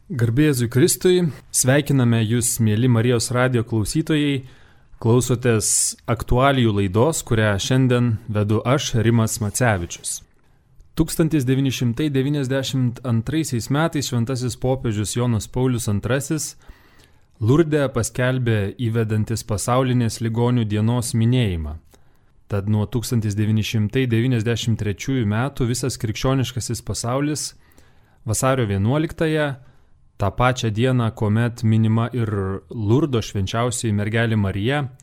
Garbė Jėzui Kristui, sveikiname Jūs, mėly Marijos radijo klausytojai, klausotės aktualijų laidos, kurią šiandien vedu aš, Rimas Macevičius. 1992 metais šventasis popiežius Jonas Paulius II Lurde paskelbė įvedantis pasaulinės ligonių dienos minėjimą. Tad nuo 1993 metų visas krikščioniškasis pasaulis vasario 11-ąją, tą pačią dieną, kuomet minima ir Lurdo švenčiausioji mergelė Marija,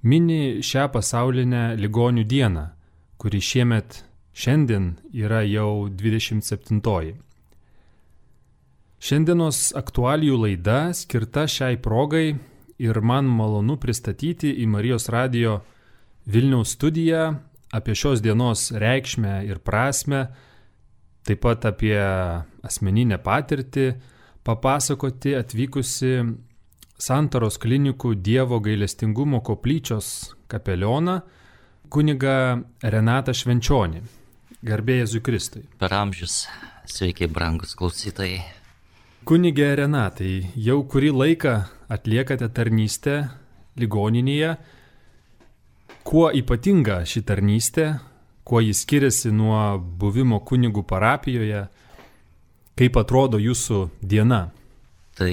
mini šią pasaulinę ligonių dieną, kuri šiandien yra jau 27-oji. Šiandienos aktualijų laida skirta šiai progai ir man malonu pristatyti į Marijos radijo Vilniaus studiją apie šios dienos reikšmę ir prasmę, taip pat apie asmeninę patirtį, papasakoti atvykusi Santaros klinikų Dievo gailestingumo koplyčios kapelioną kunigą Renatą Švenčionį. Garbė Jėzui Kristui. Per amžius, sveiki brangus klausytojai. Kunigė Renatai, jau kurį laiką atliekate tarnystę ligoninėje. Kuo ypatinga ši tarnystė, kuo jis skiriasi nuo buvimo kunigų parapijoje, kaip atrodo jūsų diena? Tai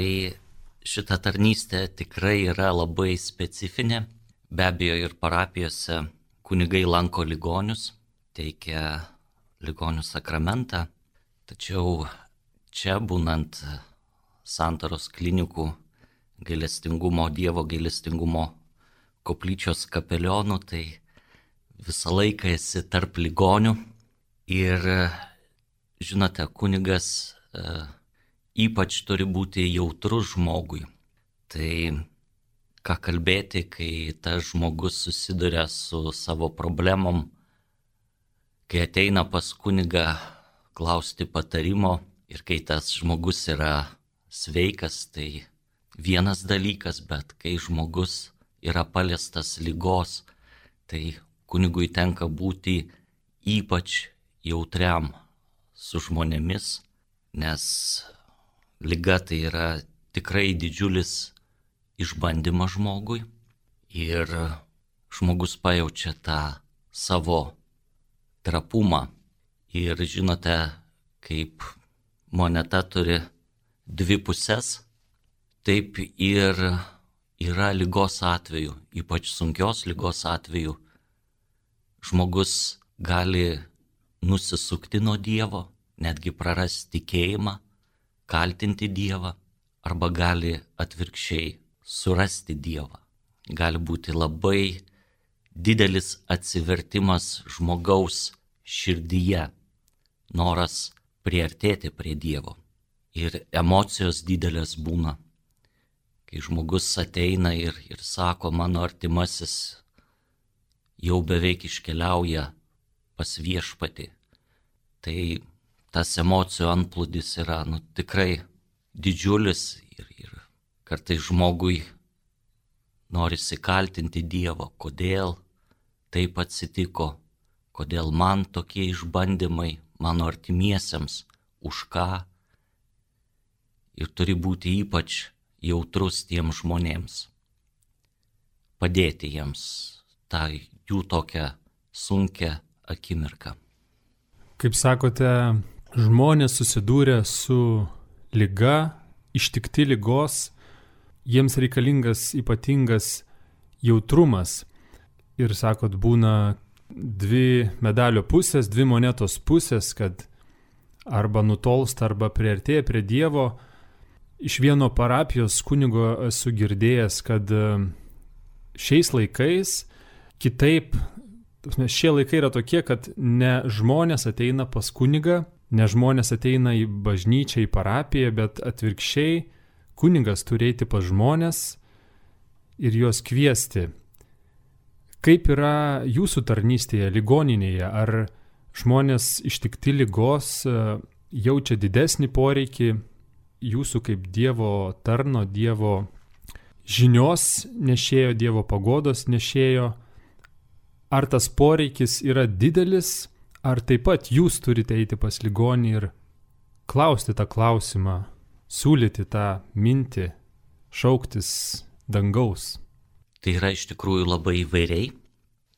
šita tarnystė tikrai yra labai specifinė. Be abejo, ir parapijose kunigai lanko ligonius, teikia ligonių sakramentą. Tačiau čia būnant Santaros klinikų Dievo gailestingumo koplyčios kapelionu, tai visą laiką esi tarp ligonių. Ir žinote, kunigas ypač turi būti jautrus žmogui. Tai ką kalbėti, kai tas žmogus susiduria su savo problemom, kai ateina pas kunigą klausti patarimo ir kai tas žmogus yra sveikas, tai vienas dalykas, bet kai žmogus yra paliestas ligos, tai kunigui tenka būti ypač jautriam su žmonėmis, nes liga tai yra tikrai didžiulis išbandymas žmogui ir žmogus pajaučia tą savo trapumą. Ir žinote, kaip moneta turi dvi puses, taip ir yra ligos atveju, ypač sunkios ligos atveju, žmogus gali nusisukti nuo Dievo, netgi prarasti tikėjimą, kaltinti Dievą, arba gali atvirkščiai surasti Dievą. Gali būti labai didelis atsivertimas žmogaus širdyje, noras priartėti prie Dievo. Ir emocijos didelės būna, kai žmogus ateina ir sako, mano artimasis jau beveik iškeliauja pas viešpatį. Tai tas emocijų antplūdis yra tikrai didžiulis ir kartais žmogui norisi kaltinti Dievą, kodėl taip atsitiko, kodėl man tokie išbandymai, mano artimiesiems, už ką. Ir turi būti ypač jautrus tiems žmonėms, padėti jiems tą jų tokią sunkią akimirką. Kaip sakote, žmonės susidūrę su liga, ištikti ligos, jiems reikalingas ypatingas jautrumas. Ir sakot, būna dvi medalio pusės, dvi monetos pusės, kad arba nutolsta, arba priartėja prie Dievo. Iš vieno parapijos kunigo esu girdėjęs, kad šiais laikais kitaip, šie laikai yra tokie, kad ne žmonės ateina pas kunigą, ne žmonės ateina į bažnyčią, į parapiją, bet atvirkščiai kunigas turi eiti pas žmonės ir juos kviesti. Kaip yra jūsų tarnystėje, ligoninėje? Ar žmonės ištikti ligos jaučia didesnį poreikį jūsų kaip Dievo tarno, Dievo žinios nešėjo, Dievo paguodos nešėjo? Ar tas poreikis yra didelis, ar taip pat jūs turite eiti pas ligonį ir klausti tą klausimą, siūlyti tą mintį, šauktis dangaus? Tai yra iš tikrųjų labai įvairiai.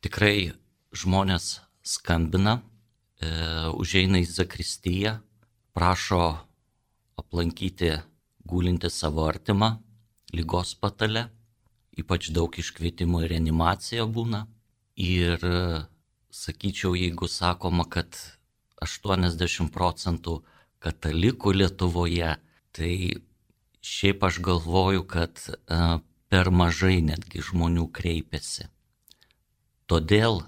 Tikrai žmonės skambina, užeina į zakristiją, prašo aplankyti gulintį savo artimą ligos patale. Ypač daug iškvietimų į reanimaciją būna. Ir sakyčiau, jeigu sakoma, kad 80% katalikų Lietuvoje, tai šiaip aš galvoju, kad per mažai netgi žmonių kreipiasi. Todėl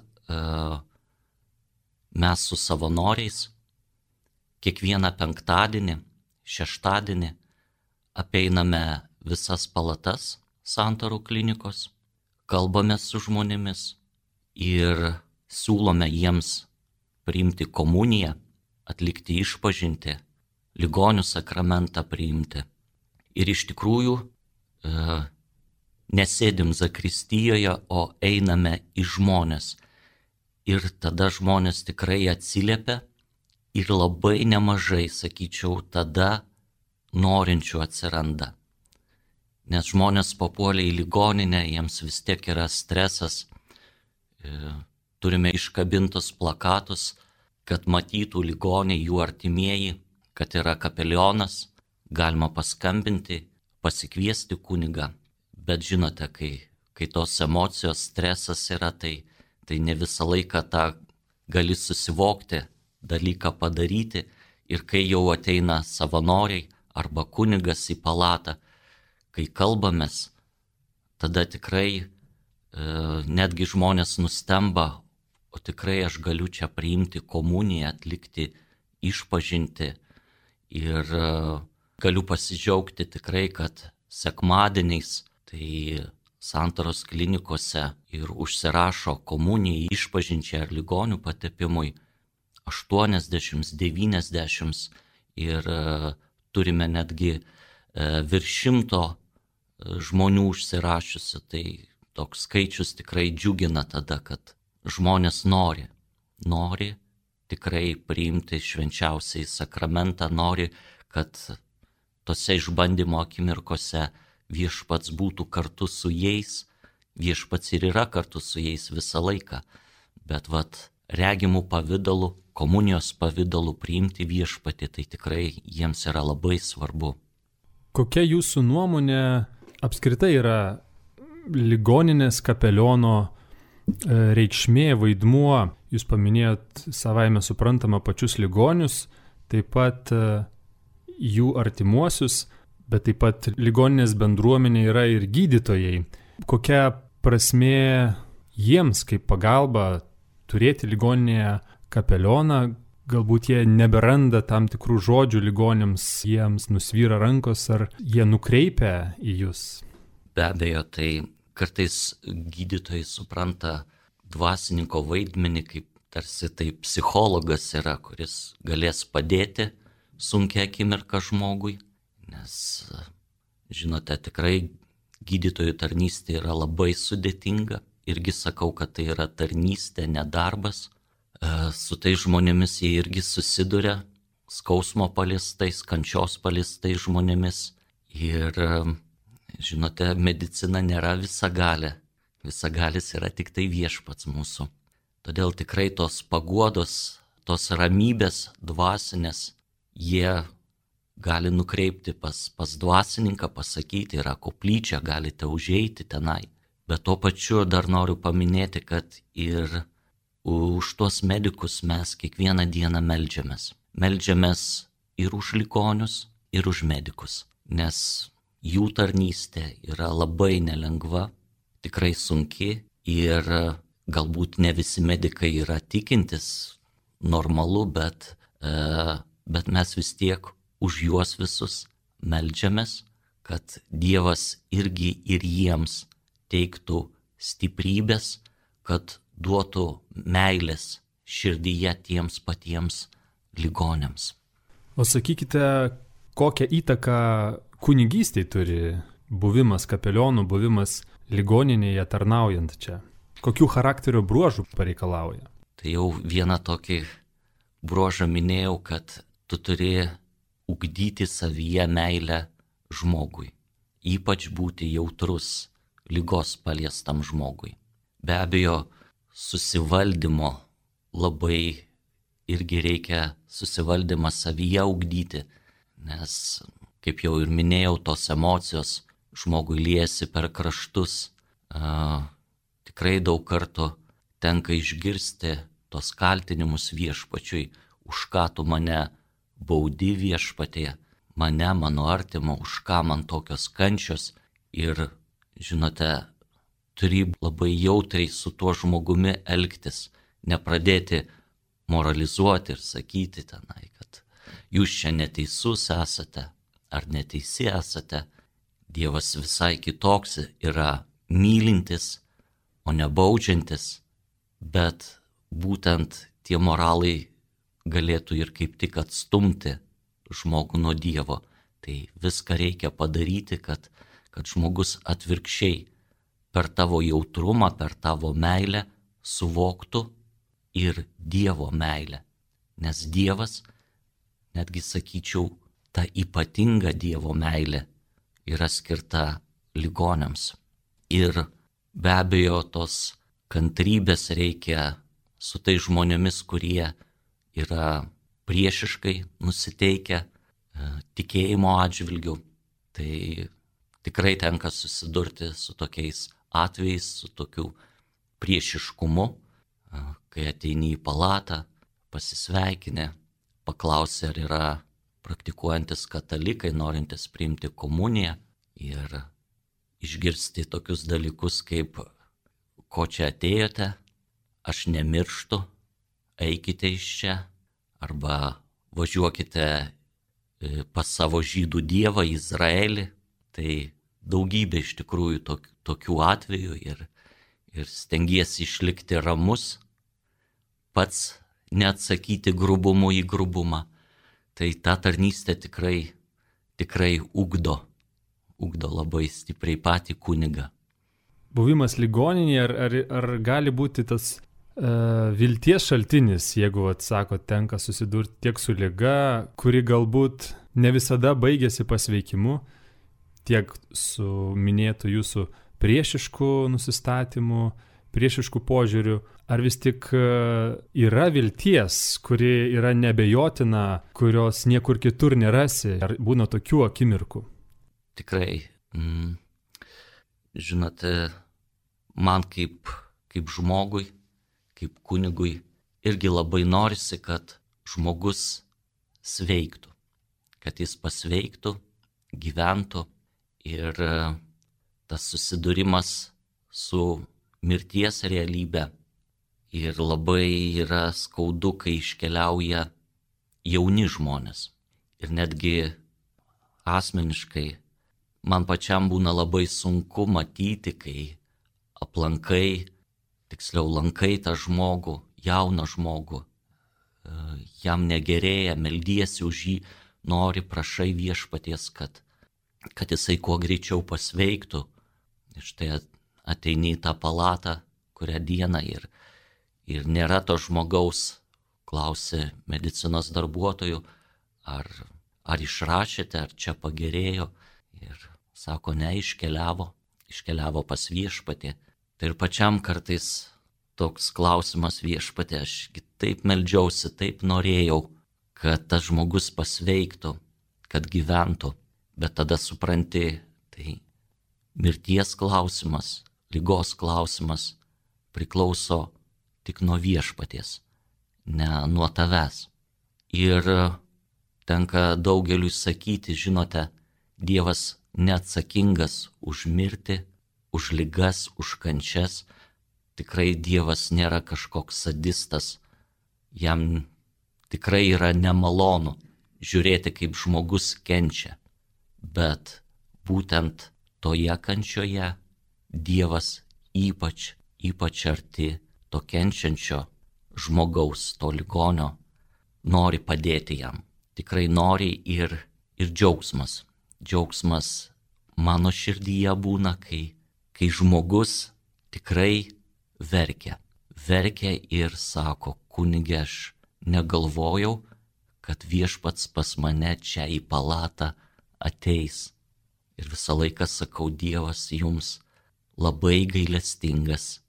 mes su savanoriais kiekvieną penktadienį, šeštadienį apeiname visas palatas Santarų klinikos, kalbame su žmonėmis ir siūlome jiems priimti komuniją, atlikti išpažintį, ligonių sakramentą priimti. Ir iš tikrųjų nesėdim zakristijoje, o einame į žmonės. Ir tada žmonės tikrai atsiliepia ir labai nemažai, sakyčiau, tada norinčių atsiranda. Nes žmonės papuolė į ligoninę, jiems vis tiek yra stresas. Turime iškabintus plakatus, kad matytų ligoniai, jų artimieji, kad yra kapelionas, galima paskambinti, pasikviesti kunigą. Bet žinote, kai tos emocijos, stresas yra, tai ne visą laiką tą gali susivokti, dalyką padaryti. Ir kai jau ateina savanoriai arba kunigas į palatą, kai kalbamės, tada tikrai netgi žmonės nustemba, o tikrai aš galiu čia priimti komuniją, atlikti išpažintį. Ir galiu pasidžiaugti tikrai, kad sekmadieniais tai Santaros klinikose ir užsirašo komunijai, išpažinčiai ar ligonių patepimui 80, 90 ir turime netgi virš 100 žmonių užsirašiusi, tai toks skaičius tikrai džiugina tada, kad žmonės nori tikrai priimti švenčiausiai sakramentą, nori, kad tose išbandymo akimirkose viešpats būtų kartu su jais, viešpats ir yra kartu su jais visą laiką, bet regimų pavidalų, komunijos pavidalų priimti viešpatį, tai tikrai jiems yra labai svarbu. Kokia jūsų nuomonė apskritai yra ligoninės kapeliono reikšmė, vaidmuo? Jūs paminėjot savaime suprantama pačius ligonius, taip pat jų artimuosius, bet taip pat ligoninės bendruomenė yra ir gydytojai. Kokia prasmė jiems kaip pagalba turėti ligoninėje kapelioną? Galbūt jie neberanda tam tikrų žodžių ligonėms, jiems nusvyra rankos, ar jie nukreipia į jūs? Be abejo, tai kartais gydytojai supranta dvasininko vaidmenį kaip tarsi tai psichologas yra, kuris galės padėti sunkia akimirka žmogui, nes, žinote, tikrai gydytojų tarnystė yra labai sudėtinga. Irgi sakau, kad tai yra tarnystė, ne darbas. Su tai žmonėmis jie irgi susiduria, skausmo paliestais, kančios paliestais žmonėmis. Ir, žinote, medicina nėra visagalė. Visagalis yra tik tai viešpats mūsų. Todėl tikrai tos paguodos, tos ramybės dvasinės, jie gali nukreipti pas dvasininką, pasakyti, yra koplyčia, galite užeiti tenai. Bet tuo pačiu dar noriu paminėti, kad ir už tuos medikus mes kiekvieną dieną meldžiamės. Meldžiamės ir už ligonius, ir už medikus, nes jų tarnystė yra labai nelengva, tikrai sunki ir galbūt ne visi medikai yra tikintis, normalu, bet mes vis tiek už juos visus meldžiamės, kad Dievas irgi ir jiems teiktų stiprybės, kad duotų meilės širdyje tiems patiems ligonėms. O sakykite, kokią įtaką kunigystei turi buvimas kapelionu, buvimas ligoninėje tarnaujant čia? Kokių charakterio bruožų pareikalauja? Tai jau vieną tokį bruožą minėjau, kad tu turi ugdyti savyje meilę žmogui, ypač būti jautrus ligos paliestam žmogui. Be abejo, susivaldymo labai irgi reikia susivaldymą savyje ugdyti, nes, kaip jau ir minėjau, tos emocijos žmogui liesi per kraštus. Tikrai daug kartų tenka išgirsti tos kaltinimus viešpačiui, už ką tu mane baudi viešpatie, mane, mano artimą, už ką man tokios kančios. Ir, žinote, turi labai jautriai su tuo žmogumi elgtis, nepradėti moralizuoti ir sakyti tenai, kad jūs čia neteisus esate ar neteisi esate. Dievas visai kitoks yra, mylintis, o ne baudžiantis, bet būtent tie moralai galėtų ir kaip tik atstumti žmogų nuo Dievo. Tai viską reikia padaryti, kad žmogus atvirkščiai per tavo jautrumą, per tavo meilę suvoktų ir Dievo meilę. Nes Dievas, netgi sakyčiau, ta ypatinga Dievo meilė yra skirta ligoniams. Ir be abejo, tos kantrybės reikia su tai žmonėmis, kurie yra priešiškai nusiteikę tikėjimo atžvilgiu. Tai tikrai tenka susidurti su tokiais atvejais, su tokiu priešiškumu, kai ateini į palatą, pasisveikinę, paklausi, ar yra praktikuojantis katalikai, norintis priimti komuniją, ir išgirsti tokius dalykus kaip, ko čia atėjote, aš nemirštu, eikite iš čia, arba važiuokite pas savo žydų dievą Izraelį. Tai daugybė iš tikrųjų tokių atvejų ir stengiesi išlikti ramus, pats neatsakyti grubumu į grubumą. Tai ta tarnystė tikrai ugdo labai stipriai patį kunigą. Buvimas ligoninėje ar gali būti tas vilties šaltinis, jeigu, sako, tenka susidurti tiek su liga, kuri galbūt ne visada baigėsi pasveikimu, tiek su minėtu jūsų priešišku nusistatymu, priešišku požiūriu, ar vis tik yra vilties, kuri yra nebejotina, kurios niekur kitur nerasi, ar būna tokių akimirkų? Tikrai, žinote, man kaip žmogui, kaip kunigui, irgi labai norisi, kad žmogus sveiktų, kad jis pasveiktų, gyventų. Ir tas susidūrimas su mirties realybė ir labai yra skaudu, kai iškeliauja jauni žmonės. Ir netgi asmeniškai man pačiam būna labai sunku matyti, kai lankai tą žmogų, jauną žmogų, jam negerėja, meldiesi už jį, nori, prašai viešpaties, kad jisai kuo greičiau pasveiktų. Ir štai ateini į tą palatą, kurią dieną ir nėra to žmogaus, klausi medicinos darbuotojų, ar išrašėte, ar čia pagerėjo. Ir sako, ne, iškeliavo pas viešpatį. Tai ir pačiam kartais toks klausimas, viešpatė, aš taip meldžiausi, taip norėjau, kad tas žmogus pasveiktų, kad gyventų. Bet tada supranti, tai mirties klausimas, ligos klausimas priklauso tik nuo viešpaties, ne nuo tavęs. Ir tenka daugeliui sakyti, žinote, Dievas neatsakingas už mirtį, už ligas, už kančias. Tikrai Dievas nėra kažkoks sadistas. Jam tikrai yra nemalonu žiūrėti, kaip žmogus kenčia. Bet būtent toje kančioje Dievas ypač arti to kenčiančio žmogaus, to ligonio, nori padėti jam. Tikrai nori ir džiaugsmas. Džiaugsmas mano širdyje būna, kai žmogus tikrai verkia. Verkia ir sako, kunige, aš negalvojau, kad viešpats pas mane čia į palatą ateis. Ir visą laiką sakau, Dievas jums labai gailestingas,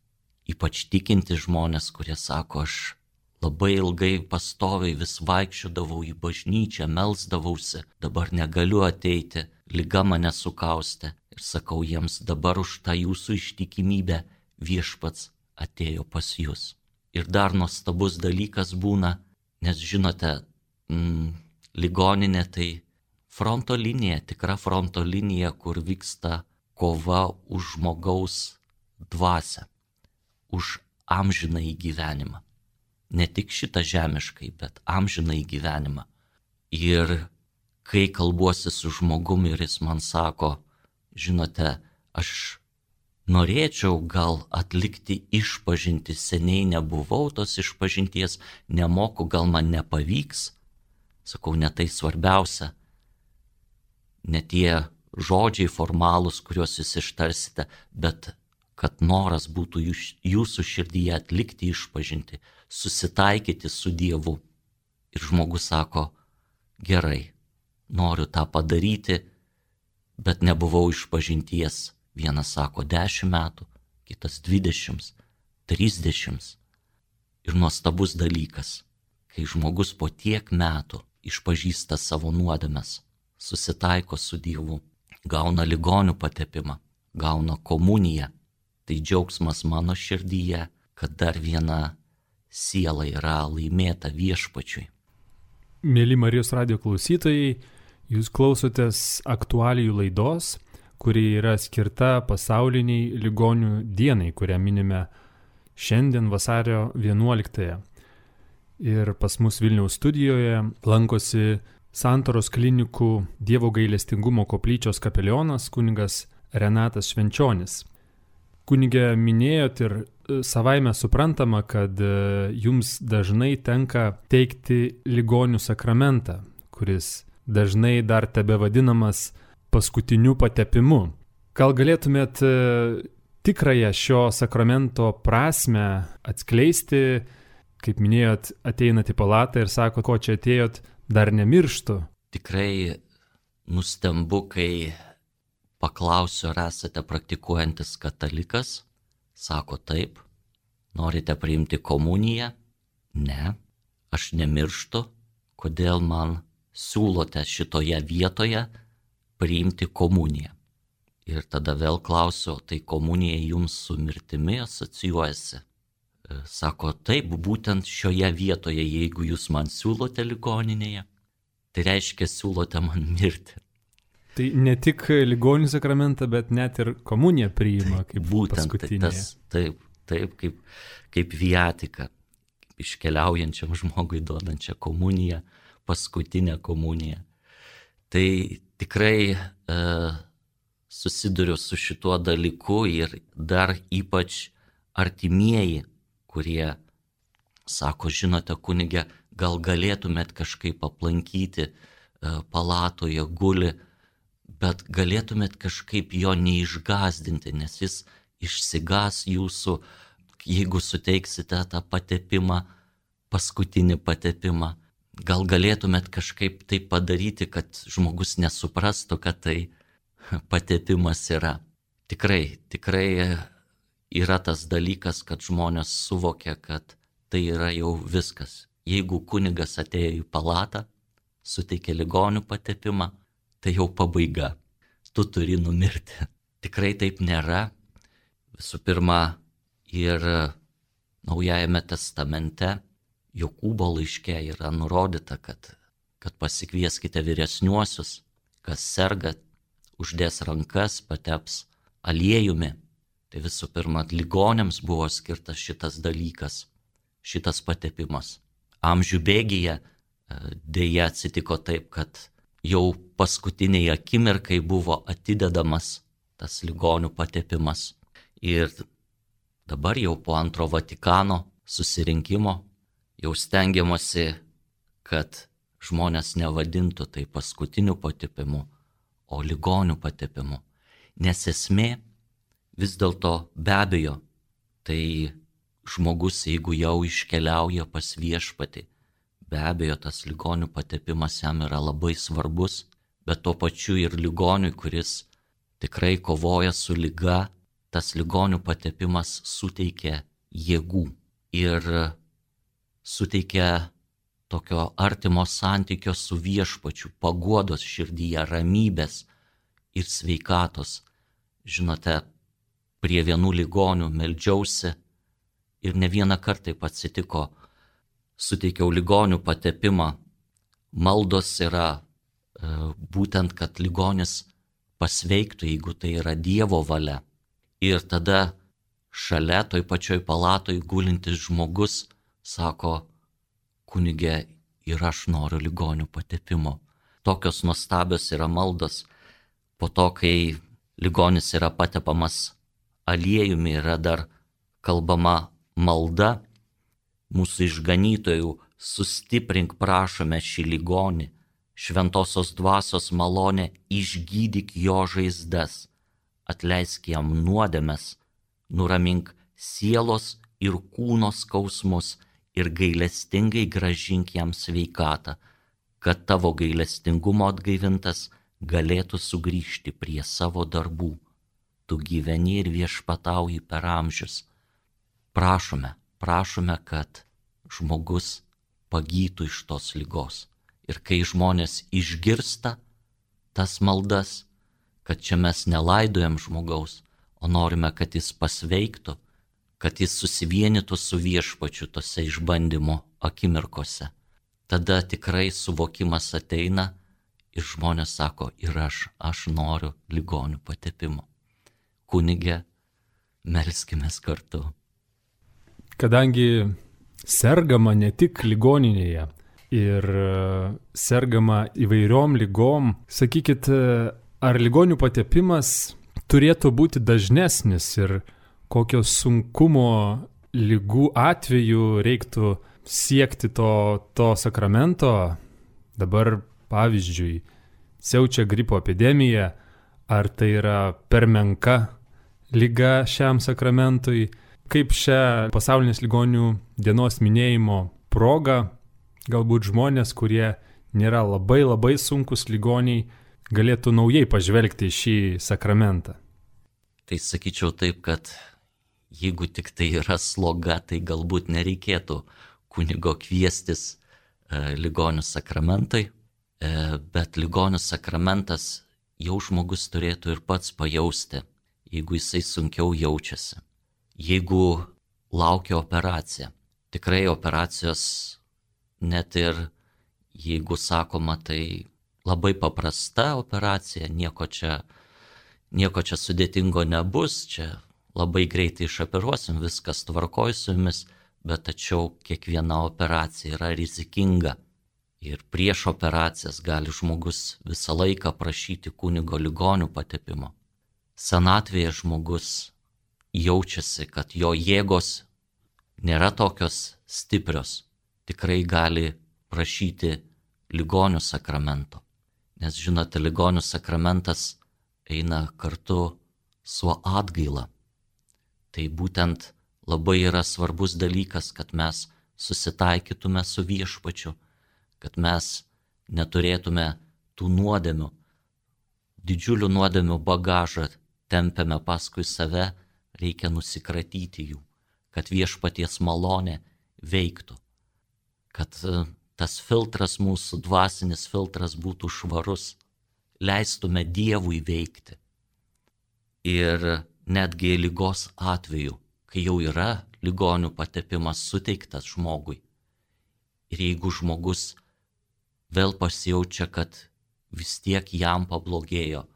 ypač tikinti žmonės, kurie sako, aš labai ilgai pastoviai vis vaikščiodavau į bažnyčią, melsdavausi, dabar negaliu ateiti, liga mane sukaustė. Ir sakau jiems, dabar už tą jūsų ištikimybę viešpats atėjo pas jūs. Ir dar nuostabus dalykas būna, nes žinote, ligoninė tai fronto linija, tikra fronto linija, kur vyksta kova už žmogaus dvasią, už amžinąjį gyvenimą. Ne tik šitą žemiškai, bet amžinąjį gyvenimą. Ir kai kalbuosi su žmogumi ir jis man sako, žinote, aš norėčiau gal atlikti išpažintį, seniai nebuvau tos išpažinties, nemoku, gal man nepavyks. Sakau, ne tai svarbiausia, ne tie žodžiai formalūs, kuriuos jūs ištarsite, bet kad noras būtų jūsų širdyje atlikti išpažintį, susitaikyti su Dievu. Ir žmogus sako, gerai, noriu tą padaryti, bet nebuvau išpažinties. Vienas sako 10 metų, kitas 20, 30. Ir nuostabus dalykas, kai žmogus po tiek metų išpažįsta savo nuodėmes, susitaiko su Dievu, gauna ligonių patepimą, gauna komuniją, tai džiaugsmas mano širdyje, kad dar viena siela yra laimėta viešpačiui. Mėly Marijos radijo klausytojai, jūs klausotės aktualijų laidos, kuri yra skirta pasauliniai ligonių dienai, kurią minime šiandien vasario 11. Ir pas mus Vilniaus studijoje lankosi Santaros klinikų Dievo gailestingumo koplyčios kapelionas kunigas Renatas Švenčionis. Kunige, minėjot ir savaime suprantama, kad jums dažnai tenka teikti ligonių sakramentą, kuris dažnai dar tebe vadinamas paskutiniu patepimu. Gal galėtumėt tikrąją šio sakramento prasme atskleisti, kaip minėjot, ateinat į palatą ir sako, ko čia atėjot, dar nemirštu. Tikrai nustembu, kai paklausiu, ar esate praktikuojantis katalikas. Sako taip. Norite priimti komuniją? Ne, aš nemirštu. Kodėl man siūlote šitoje vietoje priimti komuniją? Ir tada vėl klausiu, tai komunija jums su mirtimi asocijuojasi? Sako, taip, būtent šioje vietoje, jeigu jūs man siūlote ligoninėje, tai reiškia siūlote man mirti. Tai ne tik ligonių sakramentą, bet net ir komuniją priima kaip būtent paskutinė. Taip, kaip viatika, iškeliaujančiam žmogui duodančią komuniją, paskutinę komuniją. Tai tikrai susiduriu su šituo dalyku ir dar ypač artimieji, kurie sako, žinote, kunige, gal galėtumėt kažkaip aplankyti, palatoje guli, bet galėtumėt kažkaip jo neišgąsdinti, nes jis išsigąs jūsų, jeigu suteiksite tą patepimą, paskutinį patepimą. Gal galėtumėt kažkaip tai padaryti, kad žmogus nesuprastų, kad tai patepimas yra. Tikrai yra tas dalykas, kad žmonės suvokia, kad tai yra jau viskas. Jeigu kunigas atėjo į palatą, suteikė ligonių patepimą, tai jau pabaiga. Tu turi numirti. Tikrai taip nėra. Visų pirma, ir Naujajame testamente Jokūbo laiške yra nurodyta, kad pasikvieskite vyresniuosius, kas serga, uždės rankas, pateps aliejumi. Tai visų pirma, ligoniams buvo skirtas šitas dalykas, šitas patepimas. Amžių bėgyje dėja atsitiko taip, kad jau paskutiniai akimirkai buvo atidedamas tas ligonių patepimas. Ir dabar jau po antro Vatikano susirinkimo jau stengiamasi, kad žmonės nevadintų tai paskutiniu patepimu, o ligonių patepimu. Nes esmė vis dėlto be abejo, tai žmogus, jeigu jau iškeliauja pas viešpatį, Be abejo, tas ligonių patepimas jam yra labai svarbus, bet tuo pačiu ir ligoniui, kuris tikrai kovoja su liga, tas ligonių patepimas suteikia jėgų ir suteikia tokio artimo santykio su viešpačiu, paguodos širdyje, ramybės ir sveikatos. Žinote, prie vienų ligonių meldžiausi ir ne vieną kartą taip atsitiko, suteikiau ligonių patepimą. Maldos yra būtent, kad ligonis pasveiktų, jeigu tai yra Dievo valia. Ir tada šalia toj pačioj palatoj gulintis žmogus sako, kunige, ir aš noriu ligonių patepimo. Tokios nuostabios yra maldos. Po to, kai ligonis yra patepamas aliejumi, yra dar kalbama malda. Mūsų išganytojų, sustiprink prašome šį ligonį, šventosios dvasios malonę, išgydyk jo žaizdas, atleisk jam nuodėmes, nuramink sielos ir kūno skausmus ir gailestingai grąžink jam sveikatą, kad tavo gailestingumo atgaivintas galėtų sugrįžti prie savo darbų. Tu gyveni ir viešpatauji per amžius. Prašome, kad žmogus pagytų iš tos ligos. Ir kai žmonės išgirsta tas maldas, kad čia mes nelaidojam žmogaus, o norime, kad jis pasveiktų, kad jis susivienytų su viešpačiu tose išbandymo akimirkose, tada tikrai suvokimas ateina ir žmonės sako, ir aš noriu ligonių patepimo. Kunige, melskimės kartu. Kadangi sergama ne tik ligoninėje ir sergama įvairiom lygom, sakykit, ar ligonių patepimas turėtų būti dažnesnis ir kokio sunkumo lygų atveju reiktų siekti to sakramento? Dabar, pavyzdžiui, siaučia gripo epidemija, ar tai yra per menka liga šiam sakramentui? Kaip šią pasaulinės ligonių dienos minėjimo progą galbūt žmonės, kurie nėra labai sunkus ligoniai, galėtų naujai pažvelgti į šį sakramentą? Tai sakyčiau taip, kad jeigu tik tai yra sloga, tai galbūt nereikėtų kunigo kviestis ligonių sakramentui, bet ligonių sakramentas jau žmogus turėtų ir pats pajausti, jeigu jisai sunkiau jaučiasi. Jeigu laukia operacija, tikrai operacijos, net ir jeigu sakoma, tai labai paprasta operacija, nieko čia sudėtingo nebus, čia labai greitai išoperuosim, viskas tvarkoj su jumis, bet tačiau kiekviena operacija yra rizikinga. Ir prieš operacijas gali žmogus visą laiką prašyti kunigo ligonių patepimo. Senatvėje žmogus jaučiasi, kad jo jėgos nėra tokios stiprios, tikrai gali prašyti ligonių sakramento. Nes žinote, ligonių sakramentas eina kartu su atgaila. Tai būtent labai yra svarbus dalykas, kad mes susitaikytume su viešpačiu, kad mes neturėtume tų nuodėmių, didžiulių nuodėmių bagažą tempiame paskui save, reikia nusikratyti jų, kad viešpaties malonė veiktų, kad tas filtras, mūsų dvasinis filtras būtų švarus, leistume Dievui veikti. Ir netgi ligos atveju, kai jau yra ligonių patepimas suteiktas žmogui, ir jeigu žmogus vėl pasijaučia, kad vis tiek jam pablogėjo,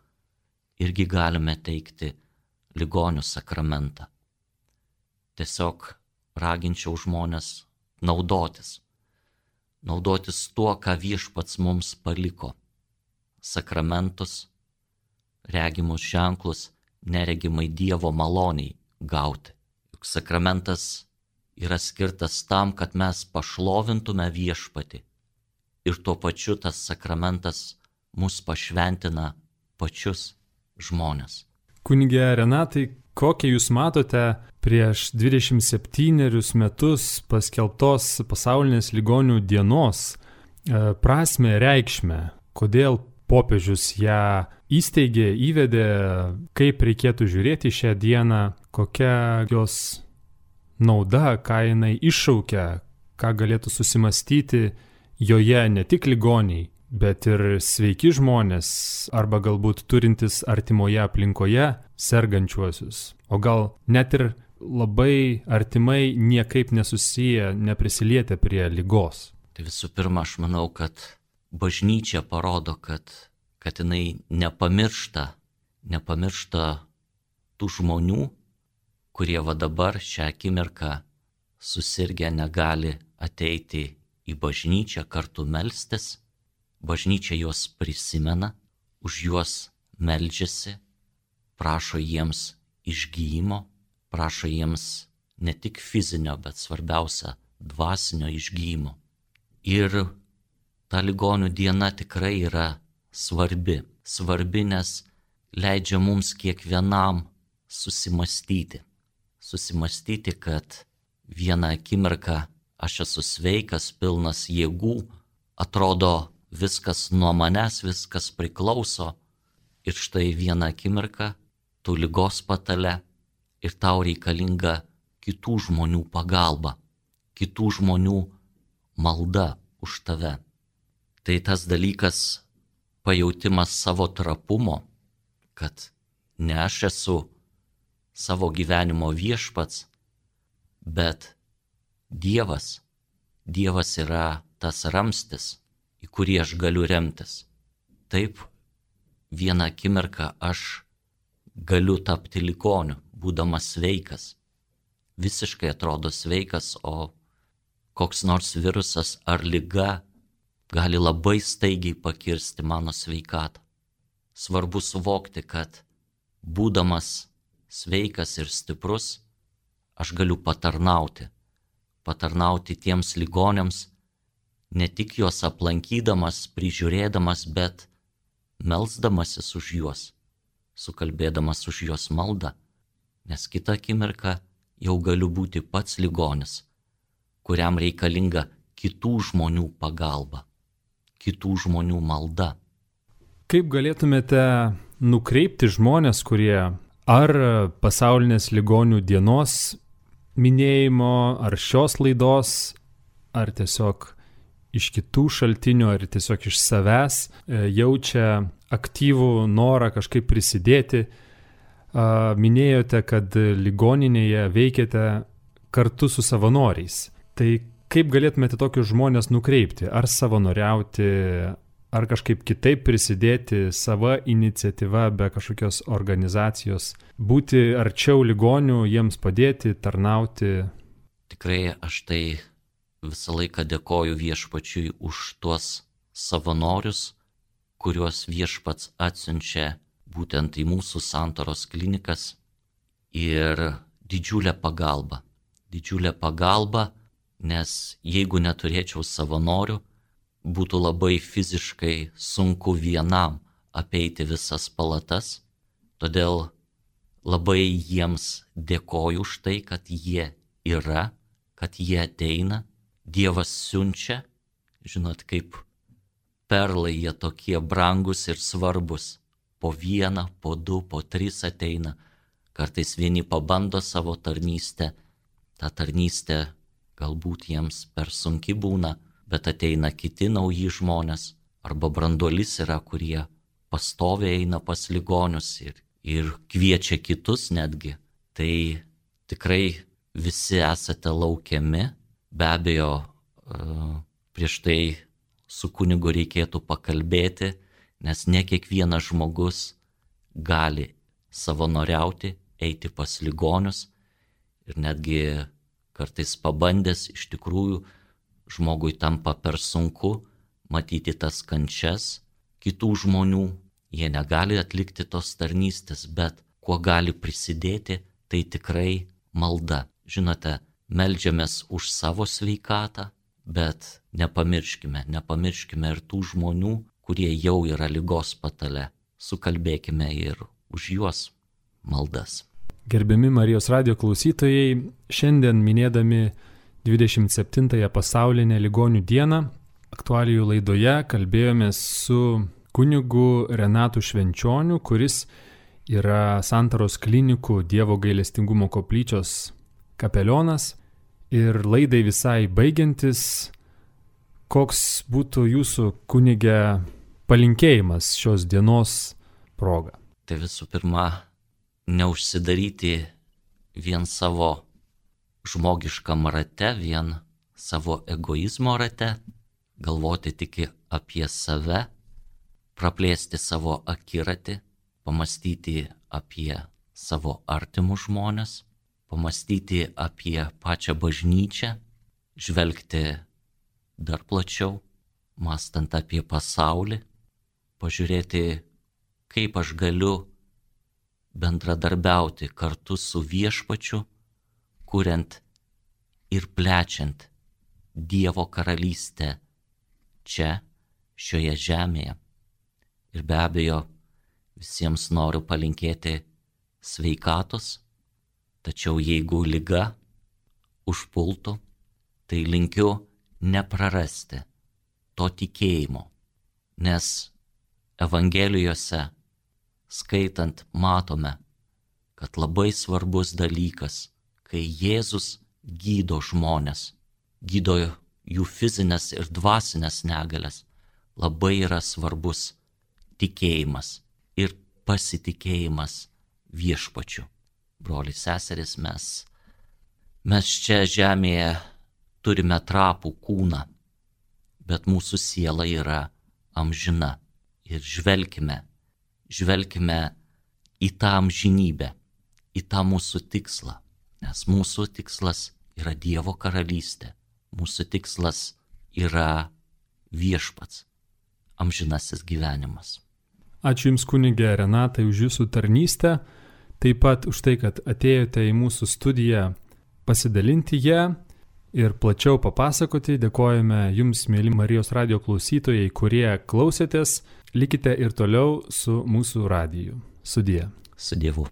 irgi galime teikti ligonių sakramentą. Tiesiog raginčiau žmonės naudotis tuo, ką viešpats mums paliko. Sakramentus, regimus ženklus, neregimai Dievo maloniai gauti. Juk sakramentas yra skirtas tam, kad mes pašlovintume viešpatį. Ir tuo pačiu tas sakramentas mus pašventina pačius žmonės. Kunige Renatai, kokią jūs matote prieš 27 metus paskelbtos pasaulinės ligonių dienos prasmę, reikšmę, kodėl popiežius ją įsteigė, įvedė, kaip reikėtų žiūrėti šią dieną, kokia jos nauda, ką jinai iššaukia, ką galėtų susimastyti joje ne tik ligoniai, bet ir sveiki žmonės arba galbūt turintis artimoje aplinkoje sergančiuosius, o gal net ir labai artimai niekaip nesusiję, neprisilietę prie ligos. Tai visų pirma, aš manau, kad bažnyčia parodo, kad jinai nepamiršta tų žmonių, kurie va dabar šią akimirką susirgę negali ateiti į bažnyčią kartu melstis. Bažnyčia juos prisimena, už juos meldžiasi, prašo jiems išgyjimo, prašo jiems ne tik fizinio, bet svarbiausia dvasinio išgyjimo. Ir ta ligonių diena tikrai yra svarbi, nes leidžia mums kiekvienam susimastyti, kad vieną akimirką aš esu sveikas, pilnas jėgų, atrodo viskas nuo manęs, viskas priklauso, ir štai vieną akimirką tu ligos patale ir tau reikalinga kitų žmonių pagalba, kitų žmonių malda už tave. Tai tas dalykas, pajautimas savo trapumo, kad ne aš esu savo gyvenimo viešpats, bet Dievas yra tas ramstis, į kurį aš galiu remtis. Taip, vieną akimirką aš galiu tapti ligoniu, būdamas sveikas. Visiškai atrodo sveikas, o koks nors virusas ar liga gali labai staigiai pakirsti mano sveikatą. Svarbu suvokti, kad būdamas sveikas ir stiprus, aš galiu patarnauti tiems ligoniams, ne tik juos aplankydamas, prižiūrėdamas, bet melsdamasis už juos, sukalbėdamas už juos maldą, nes kitą akimirką jau galiu būti pats ligonis, kuriam reikalinga kitų žmonių pagalba, kitų žmonių malda. Kaip galėtumėte nukreipti žmonės, kurie ar pasaulinės ligonių dienos minėjimo, ar šios laidos, ar tiesiog iš kitų šaltinių, ar tiesiog iš savęs jaučia aktyvų norą kažkaip prisidėti? Minėjote, kad ligoninėje veikiate kartu su savanoriais. Tai kaip galėtumėte tokius žmonės nukreipti? Ar savanoriauti, ar kažkaip kitaip prisidėti sava iniciatyva be kažkokios organizacijos, būti arčiau ligonių, jiems padėti, tarnauti? Tikrai aš tai visą laiką dėkoju Viešpačiui už tuos savanorius, kuriuos Viešpats atsiunčia būtent į mūsų santaros klinikas, ir didžiulė pagalba, nes jeigu neturėčiau savanorių, būtų labai fiziškai sunku vienam apeiti visas palatas, todėl labai jiems dėkoju už tai, kad jie yra, kad jie ateina, Dievas siunčia, žinot, kaip perlai jie tokie brangus ir svarbus, po vieną, po du, po tris ateina, kartais vieni pabando savo tarnystę, ta tarnystė galbūt jiems per sunki būna, bet ateina kiti nauji žmonės, arba branduolys yra, kurie pastoviai eina pas ligonius ir kviečia kitus netgi. Tai tikrai visi esate laukiami, be abejo, prieš tai su kunigu reikėtų pakalbėti, nes ne kiekvienas žmogus gali savanoriauti, eiti pas ligonius, ir netgi kartais pabandęs iš tikrųjų žmogui tampa per sunku matyti tas kančias kitų žmonių, jie negali atlikti tos tarnystės, bet kuo gali prisidėti, tai tikrai malda. Žinote, meldžiamės už savo sveikatą, bet nepamirškime ir tų žmonių, kurie jau yra ligos patale. Sukalbėkime ir už juos maldas. Gerbiami Marijos radijo klausytojai, šiandien minėdami 27-ąją pasaulinę ligonių dieną, aktualijų laidoje kalbėjomės su kunigu Renatu Švenčioniu, kuris yra Santaros klinikų Dievo gailestingumo koplyčios kapelionas. Ir laidai visai baigiantis, koks būtų jūsų kunige palinkėjimas šios dienos proga? Tai visų pirma, neužsidaryti vien savo žmogiškam rate, vien savo egoizmo rate, galvoti tik apie save, praplėsti savo akiratį, pamastyti apie savo artimus žmones, pamastyti apie pačią bažnyčią, žvelgti dar plačiau, mąstant apie pasaulį, pažiūrėti, kaip aš galiu bendradarbiauti kartu su Viešpačiu, kuriant ir plečiant Dievo karalystę čia, šioje žemėje. Ir be abejo, visiems noriu palinkėti sveikatos, tačiau jeigu liga užpultų, tai linkiu neprarasti to tikėjimo, nes Evangelijose skaitant matome, kad labai svarbus dalykas, kai Jėzus gydo žmones, gydo jų fizinės ir dvasinės negalias, labai yra svarbus tikėjimas ir pasitikėjimas Viešpačiu. Broliai, seserys, mes čia žemėje turime trapų kūną, bet mūsų siela yra amžina. Ir žvelkime į tą amžinybę, į tą mūsų tikslą, nes mūsų tikslas yra Dievo karalystė, mūsų tikslas yra Viešpats, amžinasis gyvenimas. Ačiū Jums, kunige Renatai, už Jūsų tarnystę, taip pat už tai, kad atėjote į mūsų studiją pasidalinti ją ir plačiau papasakoti. Dėkojame Jums, mėly Marijos radijo klausytojai, kurie klausėtės. Likite ir toliau su mūsų radiju. Sudie. Su Dievu.